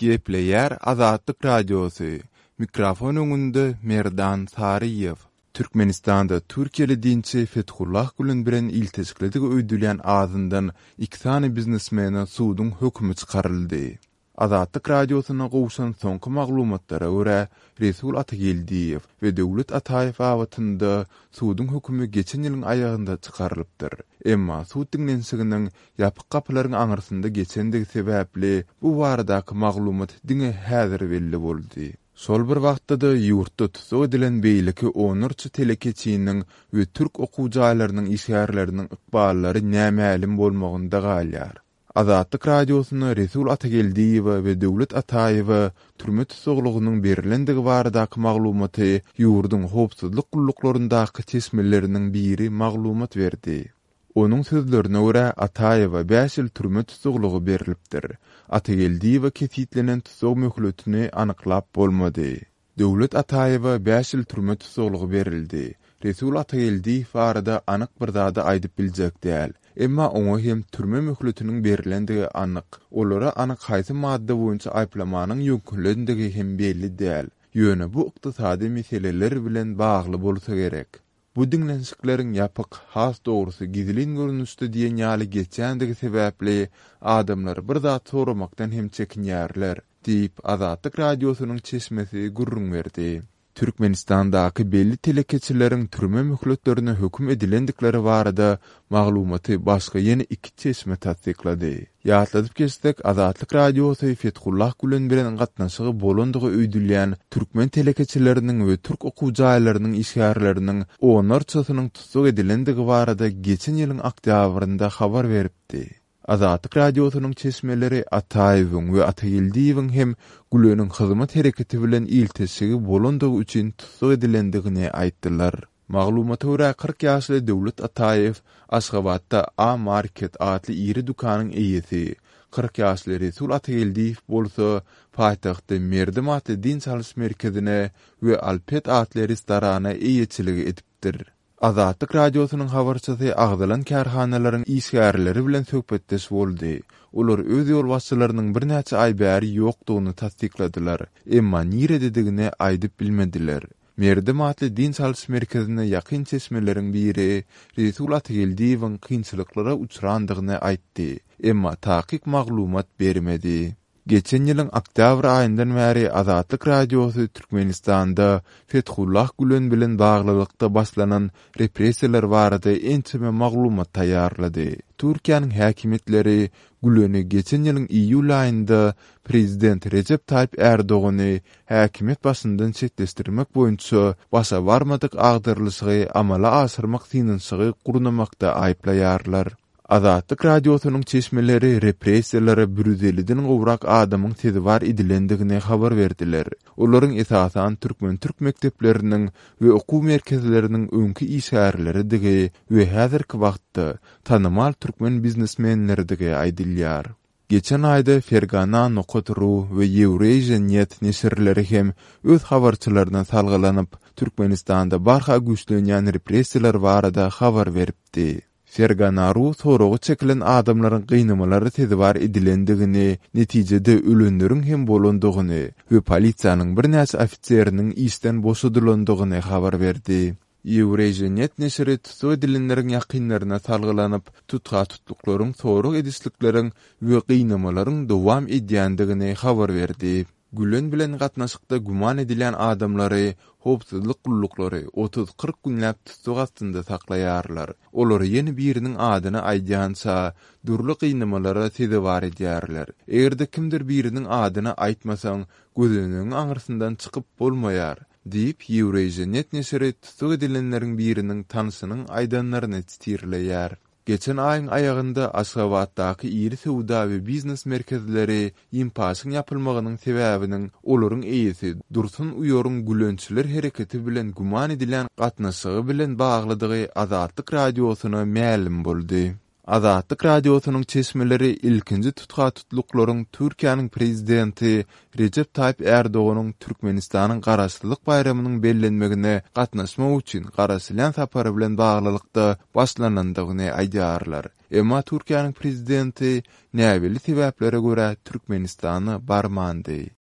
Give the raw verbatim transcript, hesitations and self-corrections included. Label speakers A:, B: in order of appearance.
A: Gepleýär Azatlyk Radiosy, mikrofon öňünde Merdan Saryýew. Türkmenistanda türkiýeli dinçi Fethullah Gülen bilen ilteşiklidigi öýdülýän azyndan iki sany biznesmene suduň hökümi çykaryldy. Azatlyk Radiosyna gowşan soňky maglumatlara görä, Resul Atageldiýew we Döwlet Ataýew babatynda suduň hökümi geçen ýylyň aýagynda çykarylypdyr. Emma sud diňlenişiginiň ýapyk gapylaryň aňyrsynda geçendigi sebäpli bu baradaky maglumat diňe häzir belli boldy. Şol bir wagtda-da ýurtda tussag edilen beýleki onlarça telekeçiniň we türk okuw jaýlarynyň işgärleriniň ykballary nämälim bolmagynda galýar. Azatlyk Radiosyna Resul Atageldiýewe we Döwlet Ataýewe türme tussaglygynyň berilendigi baradaky maglumaty ýurduň howpsuzlyk gulluklaryndaky çeşmeleriniň biri maglumat berdi. Onuň sözlerine görä, Ataýewe bäş ýyl türme tussaglygy berilipdir. Atageldiýewe kesitlenen tussag möhletini anyklap bolmady. Döwlet Ataýewe bäş ýyl türme tussaglygy berildi. Resul Atageldiýew barada anyk bir zady aýdyp biljek däl. Emma oňa hem türme möhletiniň berilendigi anyk. Olara anyk haýsy madda boýunça aýyplamanyň ýöňkelendigi hem belli däl. Ýöne bu ykdysady meseleler bilen bagly bolsa gerek. Bu diňlenişikleriň ýapyk, has dogrusy gizlin görnüşde diýen ýaly geçýändigi sebäpli adamlar bir zat soramakdan hem çekinýärler, diýip, Azatlyk Radiosynyň çeşmesi gürrüň berdi. Türkmenistandaky belli telekeçileriň türme möhletlerine höküm edilendikleri barada maglumaty başga ýene iki çeşme tassyklady. Ýatladyp geçsek, Azatlyk Radiosy Fethullah Gülen bilen gatnaşygy bolandygy öýdülýän türkmen telekeçileriniň we türk okuw jaýlarynyň işgärleriniň onlarçasynyň tussag edilendigi barada geçen ýylyň oktýabrynda habar beripdi. Azatlyk Radiosynyň çeşmeleri Ataýewiň we Atageldiýewiň hem Güleniň hyzmat hereketi bilen ilteşigi bolandygy üçin tussag edilendigini aýtdylar. Maglumata görä, kyrk ýaşly Döwlet Ataýew Aşgabatda A Market atly iri dükanyň eýesi, kyrk ýaşly Resul Atageldiýew bolsa paýtagtda Merdem atly dynç alyş merkezine we Alpet atly restorana eýeçilik edipdir. Azatlyk Radiosynyň habarçysy agzalan kärhanalaryň işgärleri bilen söhbetdeş boldy. Olar öz ýolbaşçylarynyň birnäçe aý bäri ýokdugyny tassykladylar, emma nirededigini aýdyp bilmediler. Merdem atly dynç alyş merkezine ýakyn çeşmeleriň biri Resul Atageldiýewiň kynçylyklara uçrandygyny aýtdy, emma takyk maglumat bermedi. Geçen ýylyň oktýabr aýyndan bäri Azatlyk Radiosy Türkmenistanda Fethullah Gülen bilen baglylykda başlanan repressiýalar barada ençeme maglumat taýýarlady. Türkiýäniň häkimiýetleri Güleni geçen ýylyň iýul aýynda prezident Rejep Taýyp Ärdogany häkimiýet başyndan çetleşdirmek boýunça başa barmadyk agdarylyşygy amala aşyrmak synanyşygy gurnamakda aýyplaýarlar. Azatlyk Radiosynyň çeşmeleri repressiýalara bir ýüz elliden gowrak adamyň sezewar edilendigini habar berdiler. Olaryň esasan türkmen-türk mekdepleriniň we okuw merkezleriniň öňki işgärleridigi we häzirki wagtda tanymal türkmen biznesmenleridigi aýdylýar. Geçen aýda Fergana nokat ru we Eurasian net neşirleri hem öz habarçylaryna salgylanyp, Türkmenistanda barha güýçlenýän repressiýalar barada habar beripdi. Fergana ru soraga çekilen adamlaryň gynamalara sezewar edilendigini, netijede ölenleriň hem bolandygyny we polisiýanyň birnäçe ofiseriniň işden boşadylandygyny habar berdi. Eurasian net neşiri tussag edilenleriň ýakynlaryna salgylanyp, tutha-tutluklaryň, sorag edişlikleriň we gynamalaryň dowam edýändigini habar berdi. Gülen bilen gatnaşykda güman edilýän adamlary howpsuzlyk gulluklary otuz-kyrk günläp tussag astynda saklaýarlar. Olary ýene biriniň adyny aýdýança dürli gynamalara sezewar edýärler. Eger-de kimdir biriniň adyny aýtmasaň, gözenegiň aňyrsyndan çykyp bolmaýar, diýip, Eurasian net neşiri tussag edilenleriň biriniň tanşynyň aýdanlaryny titirleýär. Geçen aýyň aýagynda Aşgabatdaky iri söwda we biznes merkezleri Ýimpaşyň ýapylmagynyň sebäbiniň olaryň eýesi Dursun Uýaryň gülençiler hereketi bilen güman edilýän gatnaşygy bilen baglydygy Azatlyk Radiosyna mälim boldy. Azatlyk Radiosynyň çeşmeleri ilkinji tutha-tutluklaryň Türkiýäniň prezidenti Rejep Taýyp Ärdoganyň Türkmenistanyň Garaşsyzlyk baýramynyň bellenmegine gatnaşmak üçin garaşylýan sapary bilen baglylykda başlanandygyny aýdýarlar. Emma Türkiýäniň prezidenti näbelli sebäplere görä Türkmenistana barmandy.